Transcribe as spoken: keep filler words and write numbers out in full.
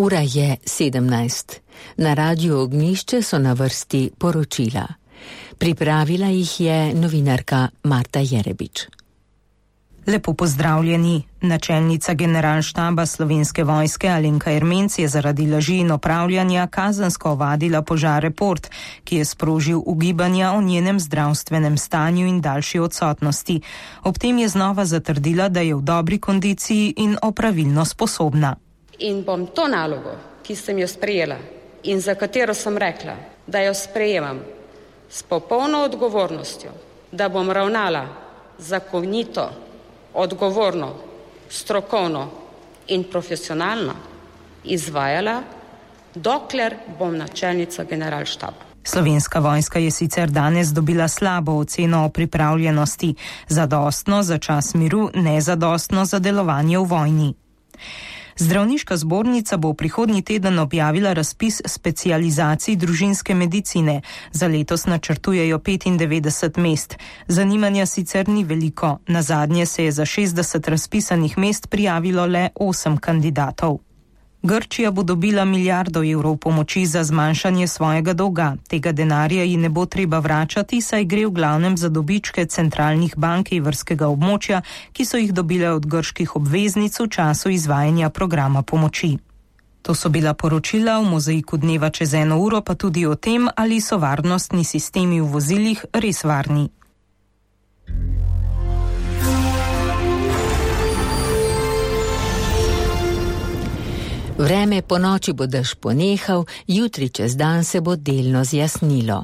Ura je sedemnajst. Na Radiu Ognjišče so na vrsti poročila. Pripravila jih je novinarka Marta Jerebič. Lepo pozdravljeni. Načelnica generalštaba Slovenske vojske Alenka Ermenc je zaradi laži in opravljanja kazensko ovadila Požar Report, ki je sprožil ugibanja o njenem zdravstvenem stanju in daljši odsotnosti. Ob tem je znova zatrdila, da je v dobri kondiciji in opravilno sposobna. In bom to nalogo, ki sem jo sprejela in za katero sem rekla, da jo sprejemam s popolno odgovornostjo, da bom ravnala zakonito, odgovorno, strokovno in profesionalno izvajala, dokler bom načelnica generalštaba. Slovenska vojska je sicer danes dobila slabo oceno o pripravljenosti, zadostno za čas miru, nezadostno za delovanje v vojni. Zdravniška zbornica bo v prihodnji teden objavila razpis specializacij družinske medicine. Za letos načrtujejo petindevetdeset mest. Zanimanja sicer ni veliko. Nazadnje se je za šestdeset razpisanih mest prijavilo le osem kandidatov. Grčija bo dobila milijardo evrov pomoči za zmanjšanje svojega dolga. Tega denarja ji ne bo treba vračati, saj gre v glavnem za dobičke centralnih bank evrskega območja, ki so jih dobile od grških obveznic v času izvajanja programa pomoči. To so bila poročila v mozaiku dneva čez eno uro, pa tudi o tem, ali so varnostni sistemi v vozilih res varni. Vreme po noči bo dež ponehal, jutri čez dan se bo delno zjasnilo.